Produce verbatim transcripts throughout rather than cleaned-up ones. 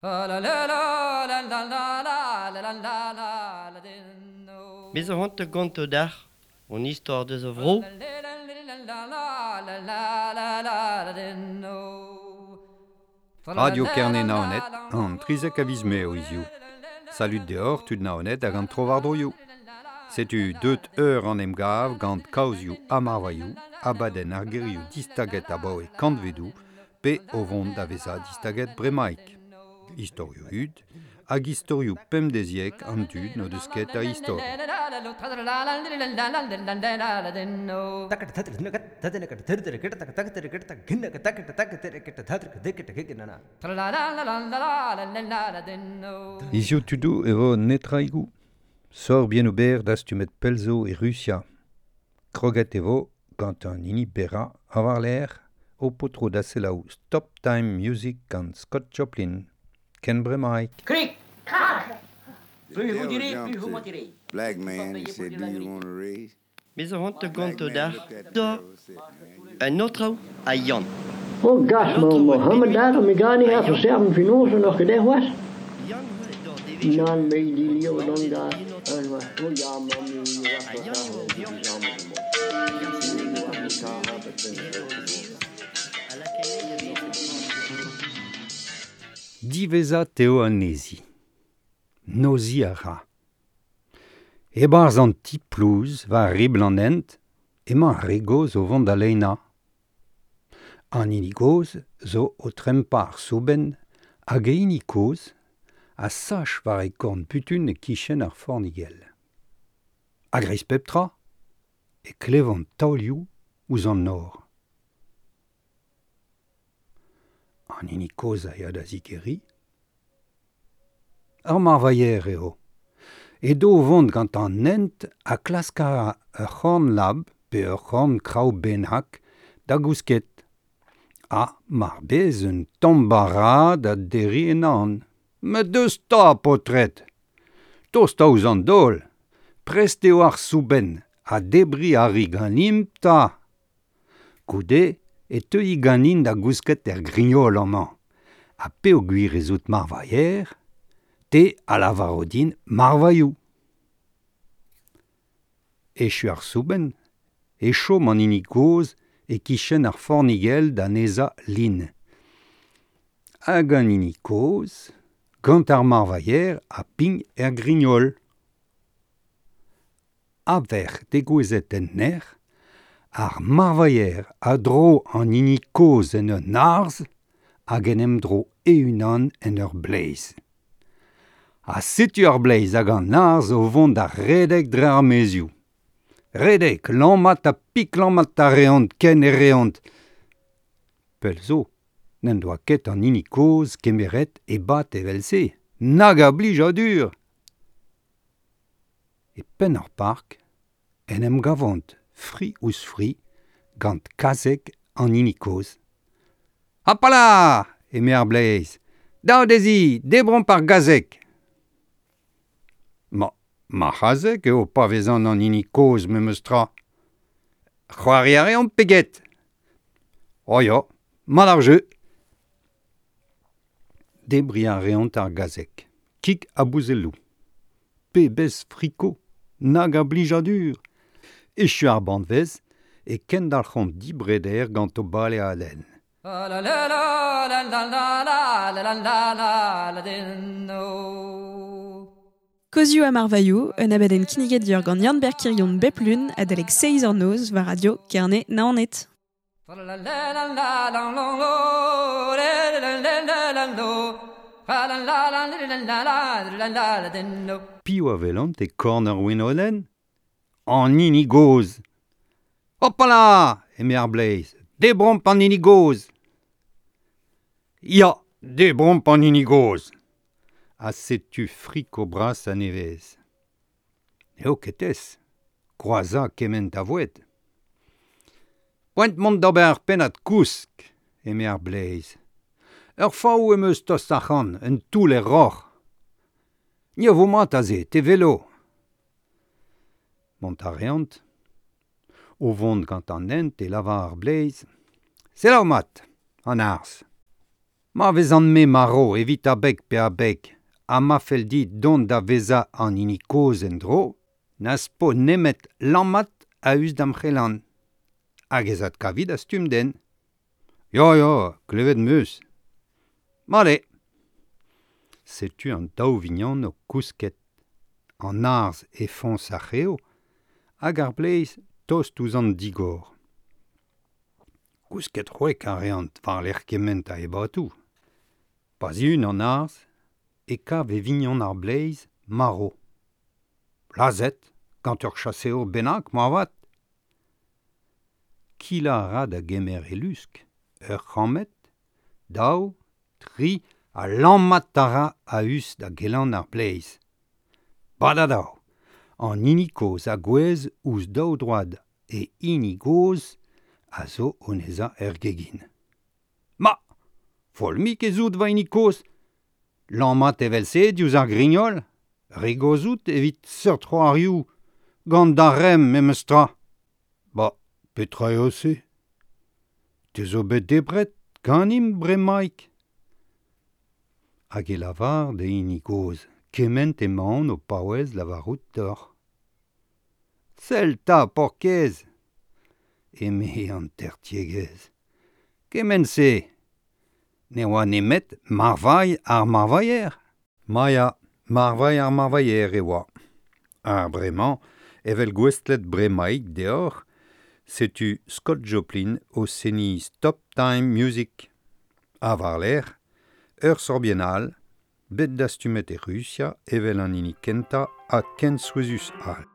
Bez a c'hoant ganto dac'h, on istor deus a vro. Radio Kerne Naoned, an trizek a viz Mae hiziv. Salud deoc'h tud Naoned hag an tro-war-droioù. Setu deut eur an emgav gant kaozioù ha marvailhoù, abadenn ar gerioù distaget abaoe kantvedoù pe o vont da vezañ distaget bremaik. Istorioù hud hag istorioù pemdeziek an dud n'o deus ket a istor. Hiziv tudoù e vo netraigoù. Sor bien ober dastumet pell zo e Rusia. Kroget e vo gant an hini berrañ a war-lerc'h o potro da selaou Stop Time Music gant Scott Joplin. Ken bremaik. Krik, krak! Plus vous direz, plus vous mentirez. Black man, he said, do you want a raise? Bez a c'hoant Black ganto man dac'h looked at the da girl and said, man, un autre a Yann. Oh gas, An ma autre oa Mohammed bet dat, mi gani a ha Yann. serven finose noch gedech was? Yann oa d'or devezhioù. Nan me di lio Oa don bet gas. en autre. En wa, oh ja, ma mi wa A Yann eo wa vioc'h. wa. Yann seneget an eus a lakae da vezañ. Diwezhat eo anezhi. Noziñ a ra. E-barzh an ti-plouz war ribl an hent emañ ar re gozh o vont da leinañ. An hini gozh zo o trempañ ar soubenn hag e hini kozh a sach war e korn butun e-kichen ar fornigell. A-greiz pep tra e klevont taolioù ouzh an nor. An hini kozh a ya da zigeriñ. Ar marvailher eo. Edo o vont gant an hent ha klask a ra ur c'horn lab pe ur c'horn kraou bennak da gousket. Ha mar bez un tamm bara da derriñ en an. Met deus 'ta, paotred ! Tost ouzh an daol. Prest eo ar soubenn ha debriñ a ri ganimp 'ta. Goude e teui ganin da gousket er grignol amañ. Ha peogwir ez out marvailher, te a lavaro din marvailhoù. Echu ar soubenn, e chom an hini kozh e-kichen ar fornigell da nezañ lin. Hag an hini kozh, gant ar marvailher a pign er grignol. A-vec'h degouezhet en nec'h, ar marvailher a dro an hini kozh en un arzh hag en em dro e-unan en ur bleiz. Ha setu ar bleiz hag an arzh o vont da redek dre ar maezioù. Redek, lammat ha piklammat a reont ken e reont. Pell zo, n'en doa ket an hini kozh kemeret ebat evel-se. Nag a blijadur ! E penn ar park, en em gavont fri ouzh fri gant kazeg an hini kozh. Hopala ! Eme ar bleiz. Dao dezhi, debromp ar gazeg ! Ma, ma c'hazeg eo pa vezan an hini kozh memes tra. C'hoari a reomp pe get ? Oh ya, mat ar jeu ! Debriñ a reont ar gazeg, kig ha bouzelloù. Pebezh friko, nag a blijadur ! Echu ar banvez e kendalc'hont dibreder gant o baleadenn. Kozioù ha marvailhoù, un abadenn kinniget deoc'h gant Yann-Ber Kirion bep lun adalek seizh eur noz war Radio Kerne Naoned. Piv a welant e korn ar wenodenn ? An hini gozh. Hopala ! Eme ar bleiz. Debromp an hini gozh. Ya, debromp an hini gozh. Ha setu friko bras a-nevez. N'eo ket aes. Kroazañ kement a voued. Poent mont d'ober ar pennad kousk, eme ar bleiz. Ur faou em eus tost ac'hann, un toull er roc'h. Ni a vo mat aze, te velo. Mont a reont. O vont gant an hent e lavar ar bleiz. Selaou mat, an arzh. Ma vezan me maro evit abeg pe abeg, ha ma fell dit dont da vezañ an hini kozh en-dro, n'az po nemet lammat a-us d'am c'helan. Hag ez adkavi da stumm den. Ya, ya, klevet 'm eus. Mat eo. Setu an daou vignon o kousket. An arzh e foñs ar c'hev hag ar bleiz tost ouzh an digor. Kousket c'hwek a reont war-lerc'h kement a ebatoù. Pa zihun an arzh e kav e vignon ar bleiz marv. Lazhet gant ur chaseour bennak moarvat. Kilañ a ra da gemer e lusk, ur c'hammed, daou, tri, ha lammat a ra a-us da gelan ar bleiz. Badadav, an hini kozh a gouezh ouzh daou droad e hini gozh a zo o nezañ er gegin. Ma, foll-mik ez out va hini kozh. Lammat evel-se diouzh ar grignol, re gozh out evit seurt c'hoarioù, gant da remm memes tra. Ba, petra eo se? Te zo bet debret ganimp bremaik. Hag e lavar d'e hini gozh, kement emaon o paouez lavarout deoc'h. Sell 'ta, paourkaezh, eme an tertiegezh. Kement-se ne oa nemet marvailh ar marvailher. Ma ya, marvailh ar marvailher e oa. Ha bremañ, evel gouestlet bremaik deoc'h, setu Scott Joplin o seniñ Stop Time Music. Ha war-lerc'h, ur sorbienn all, bet dastumet e Rusia evel an hini kentañ ha ken souezhus all.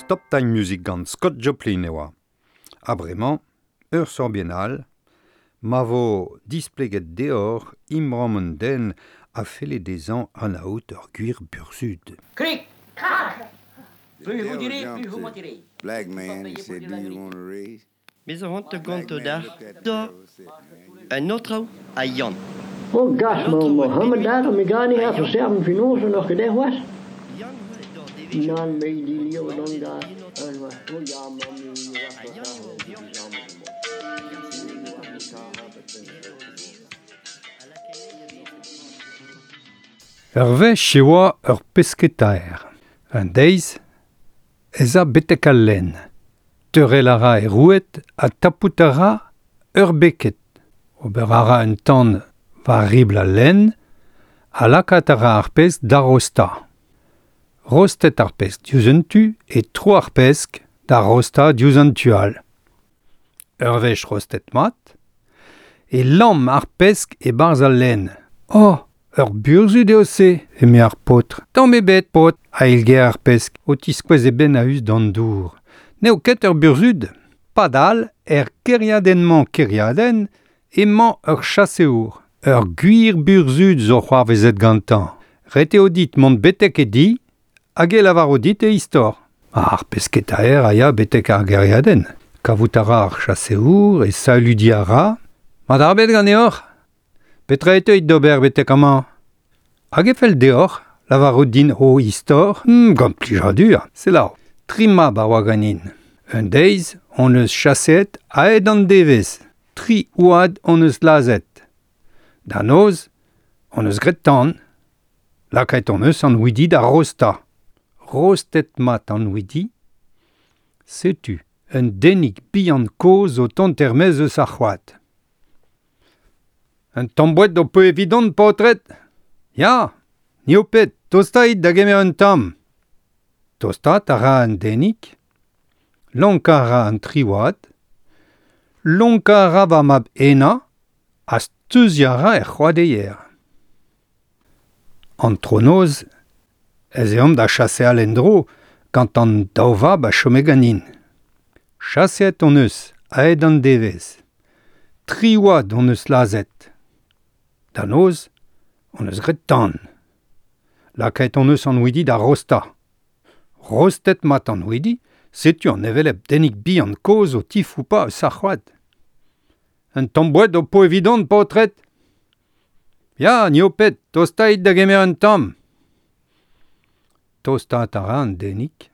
Stop Time Music gant Scott Joplin e oa. Ha bremañ, ur sorbienn all, ma vo displeget deoc'h imram un den a felle dezhañ anaout ur gwir burzhud. Krik, krak. Plus vous direz, plus vous mentirez. Black man, he said, do you want a raise? Me zo c'hoant ganto d'ar da un autre a Yann. Oh gas, ma Mohammed daar, me ga niet even zeggen, finoze nog gedaan was. Nan me die leeuw dan daar. En was, oh ja, man, Ur wech e oa ur pesketaer. Un deiz, ez a betek al lenn. Teurel a ra e roued ha tapout a ra ur beket. Ober a ra un tan war ribl al lenn ha lakaat a ra ar pesk da rostañ. Rostet ar pesk diouzh un tu e tro ar pesk da rostañ diouzh an tu all. Ur wech rostet mat, e lamm ar pesk e-barzh al lenn. Oh, ur burzhud eo se, eme ar paotr. Tamm ebet, paotr, a eilger ar pesk, o tiskouez e benn a-us d'an dour. N'eo ket ur burzhud. Padal, er kêriadenn-mañ kêriadenn, emañ ur chaseour. Ur gwir burzhud zo c'hoarvezet gantañ. Ret eo dit mont betek e di, hag e lavaro dit e istor. Ar pesketaer a ya betek ar gêriadenn. Kavout a ra ar chaseour e saludiñ a ra. Mat ar bet ganeoc'h? Petra e teuit d'ober betek amañ? Hag e fell deoc'h lavarout din ho istor? Hmm, gant plijadur, selaou. Tri mab a oa ganin. Un deiz hon eus chaseet aet an devezh. Tri oad hon eus lazhet. Da noz, hon eus graet tan. Lakaet hon eus an houidi da rostañ. Rostet mat an houidi. Setu un denig bihan kozh o tont er-maez eus ar c'hoad. Un tamm boued ho po evidon, paotred? Ya, ni ho ped, tostait da gemer un tamm. Tostaat a ra an denig, lonkañ a ra an tri oad, lonkañ a ra va mab henañ ha steuziañ a ra er c'hoadeier. Antronoz ez eomp da chaseal en-dro gant an daou vab a chome ganin. Chaseet hon eus, aet an devezh. Tri oad hon eus lazhet. Da noz, hon eus graet tan. Lakaet hon eus an houidi da rostañ. Rostet mat an houidi, setu an hevelep denig bihan kozh o tifoupañ eus ar c'hoad. Un tamm boued ho po evidon, paotred? Ya, ni ho ped, tostait da gemer un tamm. Tostaat a ra an denig.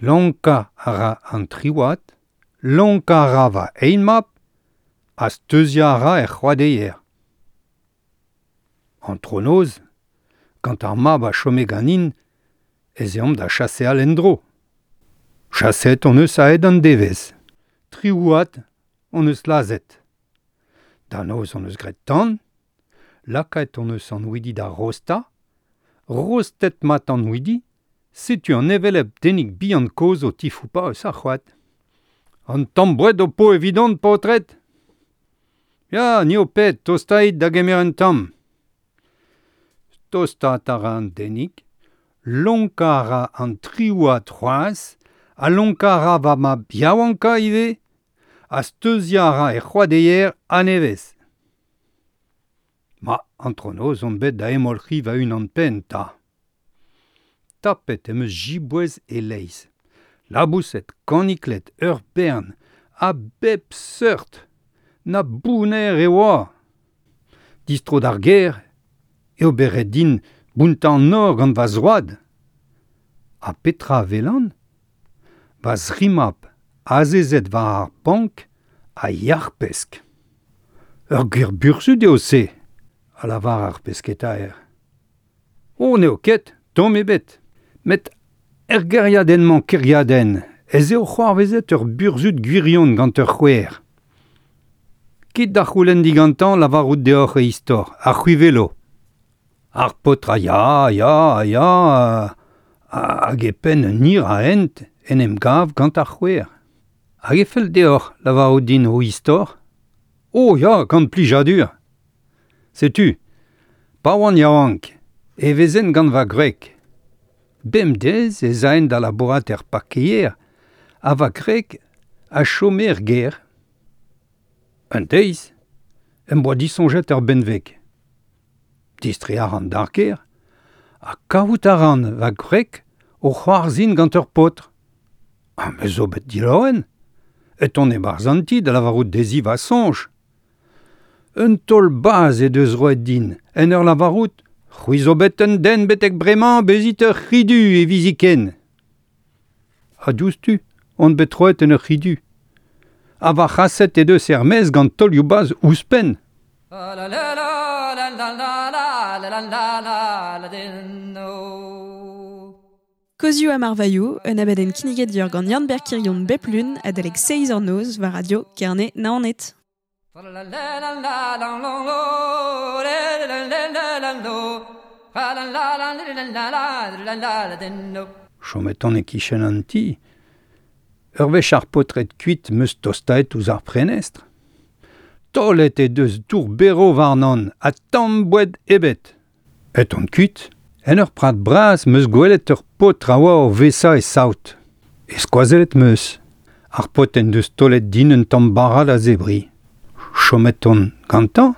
Lonkañ a ra an tri oad, lonkañ a ra va eil mab, ha steuziañ a ra er c'hoadeier. Antronoz, gant ar mab a chome ganin, ez eomp da chaseal en-dro. Chaseet hon eus aet an devezh. Tri oad hon eus lazhet. Da noz hon eus graet tan, lakaet hon eus an houidi da rostañ, rostet mat an houidi, setu an hevelep denig bihan kozh o tifoupañ eus ar c'hoad. An tamm boued ho po evidon, paotred? Ya, ni ho ped, tostait da gemer un tamm. Tostaat a ra an denig, lonkañ a ra an tri oad c'hoazh, ha lonkañ a ra va mab yaouankañ ivez, ha steuziañ a ra er c'hoadeier a-nevez. Ma, antronoz on bet da hemolc'hiñ va-unan-penn 'ta. Tapet em eus jiboez e-leizh. Laboused, kanikled, ur bern, a bep seurt. Na bounner e oa. Distro d'ar gêr, eo bet ret din bountañ an nor gant va zroad. Ha petra a welan? Va zri mab, azezet war ar bank, a yac'h-pesk. Ur gwir burzhud eo se, a lavar ar pesketaer. Oh, n'eo ket, tamm ebet. Met er gêriadenn-mañ kêriadenn, ez eo c'hoarvezet ur burzhud gwirion gant ur c'houer. Kit da c'houlenn digantañ lavarout deoc'h e istor, ar c'hwi welo. Ar paotr a ya, ya, ya, hag e penn un hir a hent en em gav gant ar c'houer. Hag e fell deoc'h lavarout din ho istor? Oh ya, gant plijadur. Setu, pa oan yaouank, e vezen gant va gwreg. Bemdez ez aen da labourat er parkeier, ha va gwreg a chome er gêr. Un deiz, em boa disoñjet ur benveg. Distreiñ a ran d'ar gêr, ha kavout a ran va gwreg o c'hoarzhin gant ur paotr. Ha me zo bet dilaouen, et on e-barzh an ti da lavarout dezhi va soñj. Un taol bazh he deus roet din, en ur lavarout, c'hwi zo bet un den betek bremañ bezit ur c'hi-du hiviziken. Ha diouzhtu, on bet troet en ur c'hi-du. Ha va c'haset he deus er-maez gant taolioù bazh ouzhpenn. La la la la la la la la la la la la. Kozioù ha marvailhoù, un abadenn kinniget dior gant Yann-Ber Kirion bep lun adalek seizh eur noz war Radio Kerne Naoned. Chomet on e-kichen an ti. Ur wech ar paotred kuit meus tostaet ouzh ar prenestr. Taolet e deus dour bero warnon ha tamm boued ebet. Et on kuit. En ur prat bras meus gwelet ur paotr a oa o vesa e saout. E skoazellet meus. Ar paotr en deus taolet din un tamm bara da zebriñ. Chomet on gantañ.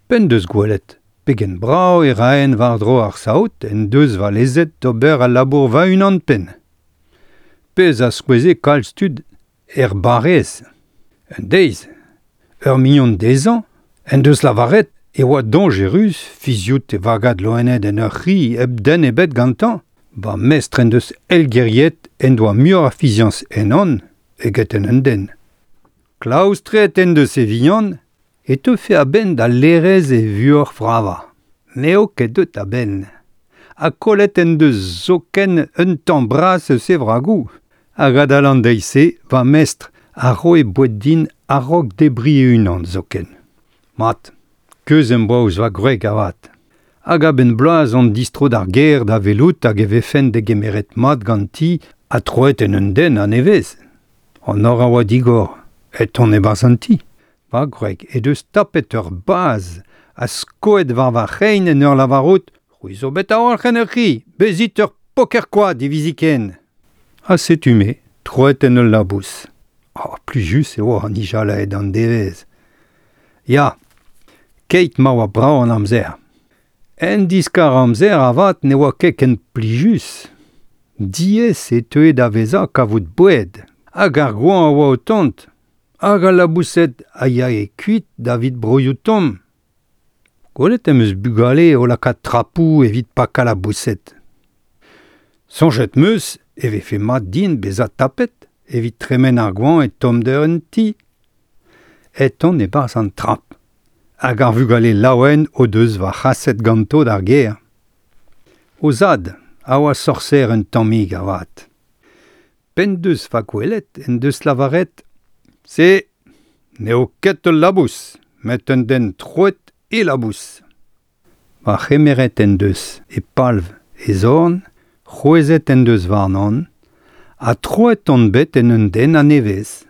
P'en deus gwelet. Pegen brav e raen war-dro ar saout en deus va lezet d'ober al labour va-unan penn. Pezh a skoueze kalz tud er barrez. Un deiz, ur mignon dezhañ, en deus lavaret e oa dañjerus fiziout e vagad loened en ur c'hi hep den ebet gantañ. Ba mestr en deus elgeriet en doa muioc'h a fiziañs ennon eget en un den. Klaoustret en deus e vignon e teufe a-benn da lerez e vuoc'h vravañ. N'eo ket deut a-benn. Ha kollet en deus zoken un tamm bras eus e vragoù. Hag adal an deiz-se, va mestr a roe boued din a-raok debriñ e-unan zoken. Mat, keuz em boa ouzh va gwreg avat. Hag a-benn bloaz on distro d'ar gêr da welout hag e vefen degemeret mat ganti ha troet en un den a-nevez. An nor a oa digor, et on e-barzh an ti. Va gwreg he deus tapet ur baz ha skoet war va c'hein en ur lavarout c'hwi zo bet a-walc'h en ur c'hi, bezit ur poker-koad hiviziken. Ha setu me, troet en ul labous. Oh, plijus eo an nijalaet an devezh. Ya, keit ma oa brav an amzer. En diskar amzer avat ne oa ket ken plijus. Diaes e teue da vezañ kavout boued. Hag ar goañv a oa o tont. Hag al laboused a yae kuit davit broioù tomm. Gwelet em eus bugale o lakaat trapoù evit pakañ laboused. Soñjet 'm eus e vefe mat din bezañ tapet evit tremen ar goañv e tommder un ti. Et on e-barzh an trap. Hag ar vugale laouen o deus va c'haset ganto d'ar gêr. O zad a oa sorser un tammig avat. P'en deus va gwelet en deus lavaret Se n'eo ket ul labous, met un den troet e labous. Va c'hemeret en deus e palv e zorn, c'hwezhet en deus warnon, ha troet on bet en un den a-nevez.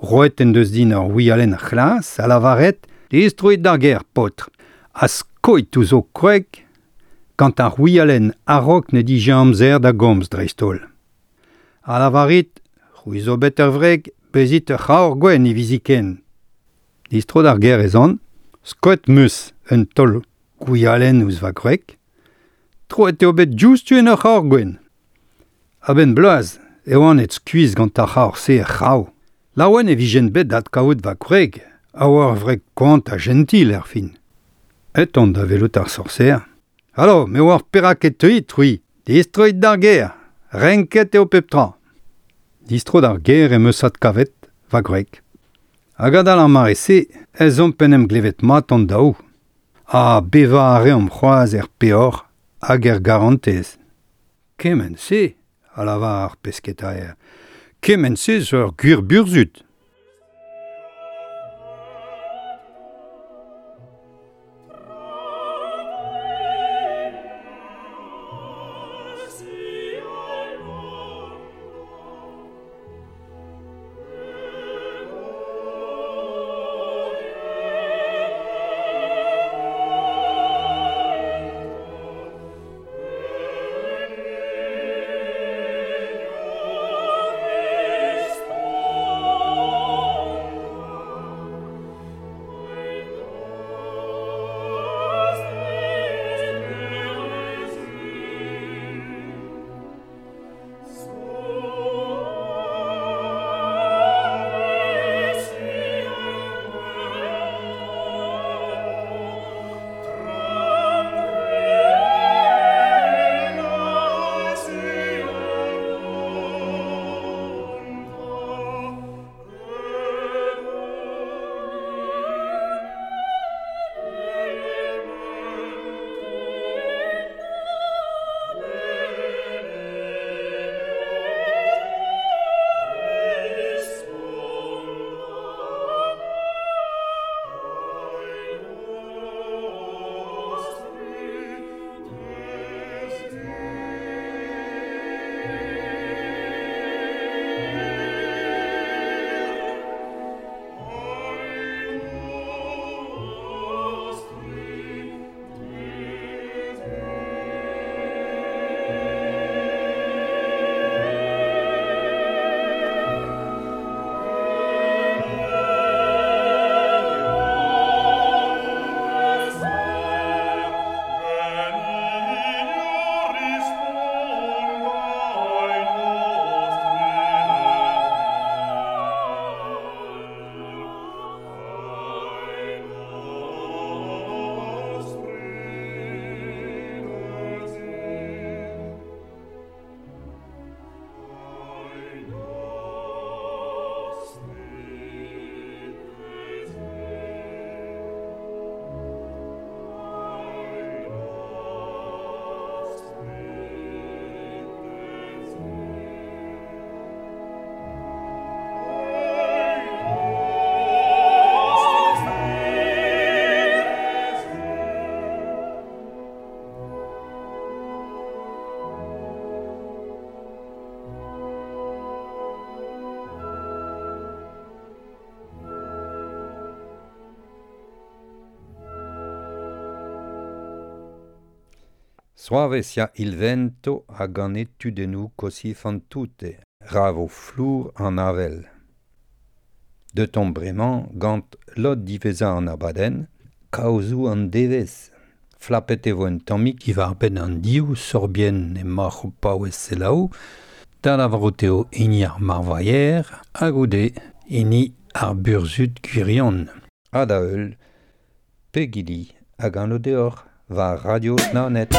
Roet en deus din ur wialenn c'hlas ha lavaret distroit d'ar gêr, paotr, ha skoit ouzh ho kwreg gant ar wialenn a-raok ne dije amzer da gomz dreist-holl. Ha lavarit, c'hwi zo bet ur wreg, bezit ur c'haor gwenn hiviziken. Distro d'ar gêr ez an, skoet 'm eus un taol gwialenn ouzh va gwreg, troet eo bet diouzhtu en ur c'haor gwenn. A-benn bloaz e oan et skuizh gant ar c'haor-se er c'hraou. Laouen e vijen bet d'adkavout va gwreg, a oa ur wreg koant ha jentil er fin. Et on da welout ar sorser. Alo, me oar perak e teuit, c'hwi, distroit d'ar gêr, renket eo pep tra. Distro d'ar gêr em eus adkavet va gwreg. Hag adal ar mare-se ez omp en em glevet mat an daou. Ha bevañ a reomp c'hoazh er peoc'h hag er garantez. Kement-se, a lavar ar pesketaer, kement-se zo ur gwir burzhud. Oh. Soave sia il vento hag an etudennoù così fan tutte, ra vo flour an avel. De ton bremañ gant lod diwezhañ an abadenn, kaozoù an devezh. Flapet e vo un tammig diwar-benn an div sorbienn emaoc'h o paouez selaou, da lavarout eo hini ar marvailher hag goude hini ar burzhud gwirion. Ha da heul, Pegili hag an deoc'h war Radio Naoned.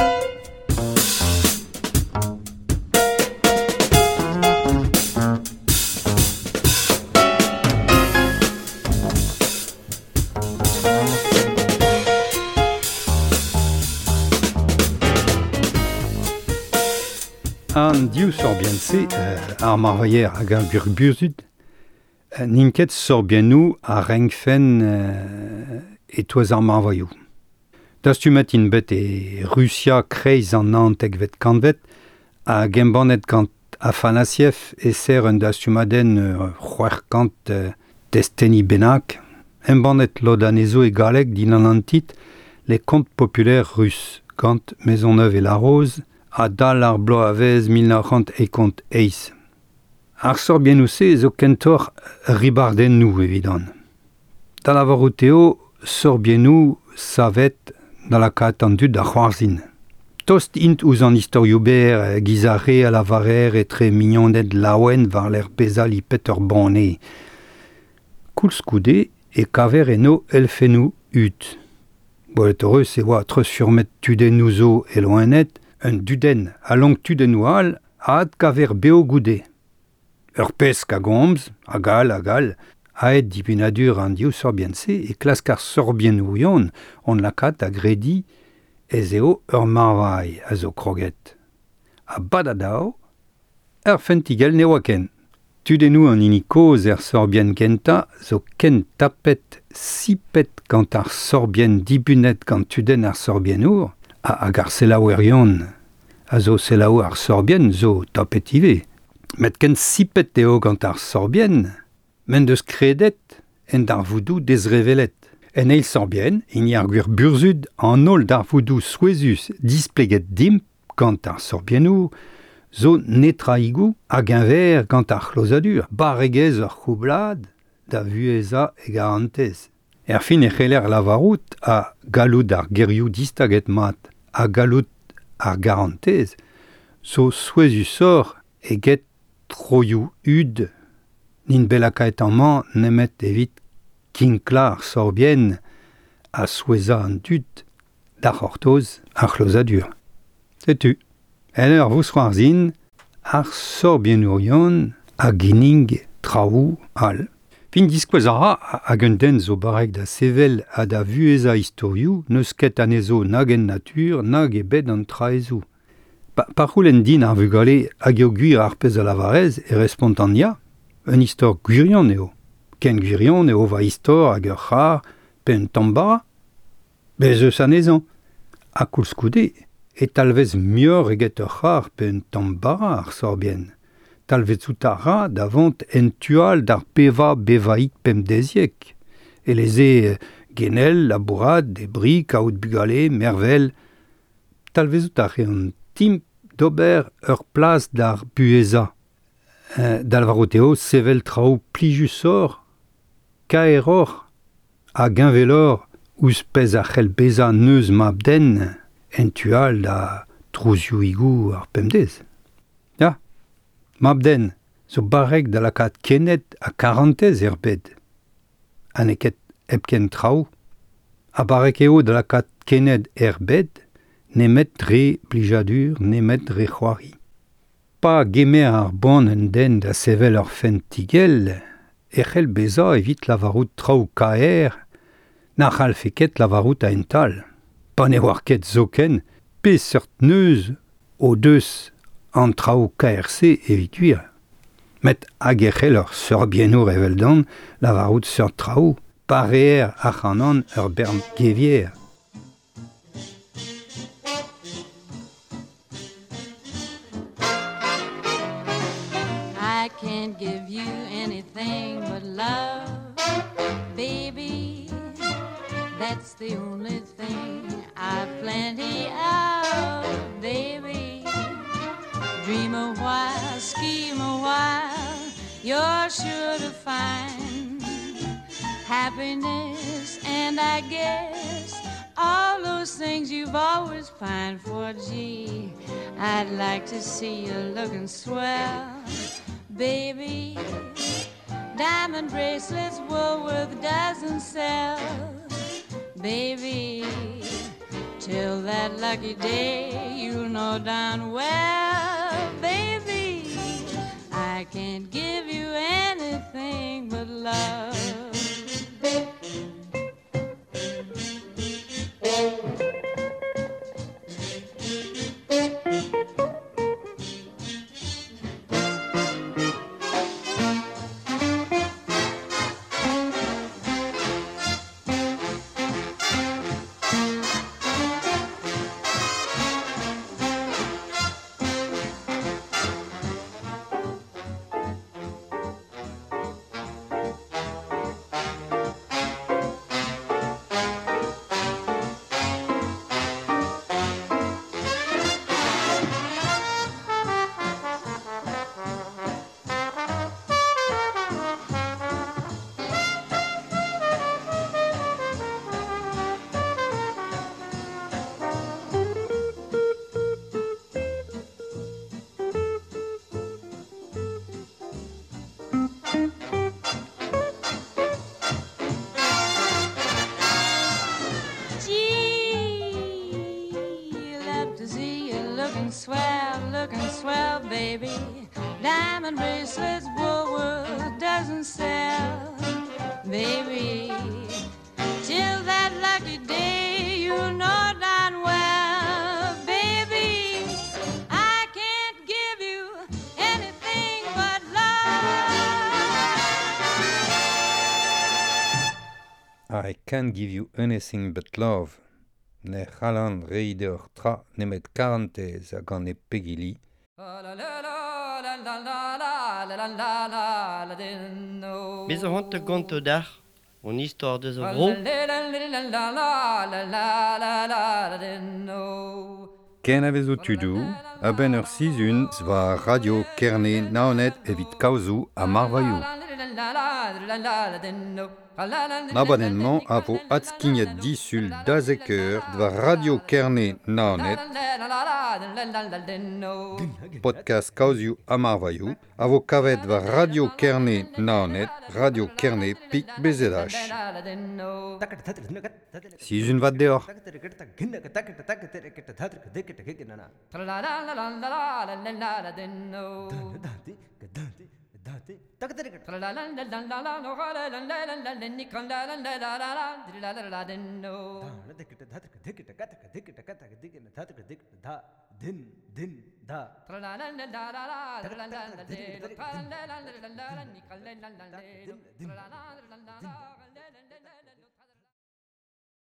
An div sorbienn-se, euh, ar marvailher hag ar gwir burzhud, euh, n'int ket sorbiennoù a renkfen euh, e-touez ar marvailhoù. Dastumet int bet e Rusia kreiz an naontekvet kantved hag embannet gant Afanassiev e ser un dastumadenn euh, c'hwec'h kant euh, testeni bennak, embannet lod anezho e galleg dindan an titl Les contes populaires russes gant Maisonneuve et Larose a dal ar bloavezh mil nav c'hant eizh eizh. Ar sorbiennoù-se zo kentoc'h ribardennoù evidon. Da lavarout eo sorbiennoù savet da lakaat an dud da c'hoarzhin. Tost int ouzh an istorioù berr giz ar re a lavarer etre mignoned laouen war lec'h bezañ lipet ur banne. Koulskoude e kaver eno elfennoù hud. Gwelet hoc'h eus e oa treuzfurmet tudennoù zo e loened, un dudenn a lonk tudennoù all a adkaver beo goude. Ur pesk a gomz, hag all hag all, aet dibunadur an div sorbienn-se e klask ar sorbiennourion hon lakaat da grediñ ez eo ur marvailh a zo kroget. Ha badadao, ur fentigell ne oa ken. Tudennoù an hini kozh er sorbienn gentañ zo ken tapet sipet gant ar sorbienn dibunet gant tudenn ar sorbiennour, ha hag ar selaouerion a zo selaou ar sorbienn zo tapet ivez. Met ken sipet eo gant ar sorbienn, m'en deus kredet en darvoudoù dezrevelet. En eil sorbienn, hini ar gwir burzhud an holl darvoudoù souezhus displeget dimp gant ar sorbiennoù zo netraigoù hag enver gant ar c'hlozadur, barregezh ur c'houblad da vuhezañ e garantez. Er fin e c'heller lavarout a galloud ar gerioù distaget mat, a galloud ar garantez, zo souezhusoc'h eget troioù hud. N'int bet lakaet amañ nemet evit kinklañ ar sorbienn ha souezhañ an dud da c'hortoz ar c'hlozadur. Setu, en ur vousc'hoarzhin, ar sorbiennourion a ginnig traoù all. Fin diskouez a ra hag un den zo barrek da sevel ha da vuhezañ istorioù n'eus ket anezho nag en natur nag e bed an traezoù. Pa, pa c'houlenn din ar vugale hag eo gwir ar pezh a lavarez e respontan ya, un istor gwirion eo. Ken gwirion eo va istor hag ur c'har pe un tamm bara. Bez eus anezhañ. Ha koulskoude e talvez muioc'h eget ur c'har pe un tamm bara ar sorbienn. Talvezout a ra da vont en tu all d'ar bevañ bevaik pemdeziek. Eleze genel, labourat, debriñ, kaout bugale, mervel. Talvezout a reont timp d'ober ur plas d'ar buhezañ. Euh, da lavarout eo sevel traoù plijusoc'h, kaeroc'h hag heñveloc'h ouzh pezh a c'hell bezañ neuz mab-den en tu all da trouzioùigoù ar pemdez. Ya, mab-den zo barrek da lakaat kened ha karantez er bed. Ha n'eo ket hepken traoù, ha barrek eo da lakaat kened er bed nemet dre blijadur, nemet dre c'hoari. Pa gemer ar boan un den da sevel ur fentigell, e c'hell bezañ evit lavarout traoù kaer, na c'hallfe ket lavarout a-hent-all. Pa ne oar ket zoken peseurt neuz o deus an traoù kaer-se evit gwir. Met hag e c'hell ur sorbiennour eveldon lavarout seurt traoù, pa reer ac'hanon ur bern gevier. I can't give you anything but love, baby. That's the only thing I've plenty of. baby. Dream a while, scheme a while, you're sure to find happiness, and I guess all those things you've always pined for. Gee, I'd like to see you looking swell, baby. Diamond bracelets Woolworth doesn't sell, baby. Till that lucky day, you'll know darn well, baby, I can't give you anything but love. Gee, love to see you looking swell, looking swell, baby. Diamond bracelets Woolworth doesn't sell, baby. Till that lucky day, you know darn well, baby, I can't give you anything but love. I can't give you anything but love. Ne c'hallan reiñ deoc'h tra nemet karantez hag an e pegili. Bez a hont gonto d'ar, on istor deus a vro. Ken a vezo tudou, a-benn ur sizhun war Radio Kerne Naoned evit kaozoù ha marvailhoù. Abadenn-mañ a vo adskignet disul dazek eur war Radio Kerne Naoned, podcast kaozioù ha marvailhoù, a vo kavet war Radio Kerne Naoned, Radio Kerne pik B Z H. Sizhun vat deoc'h. Din, din, da.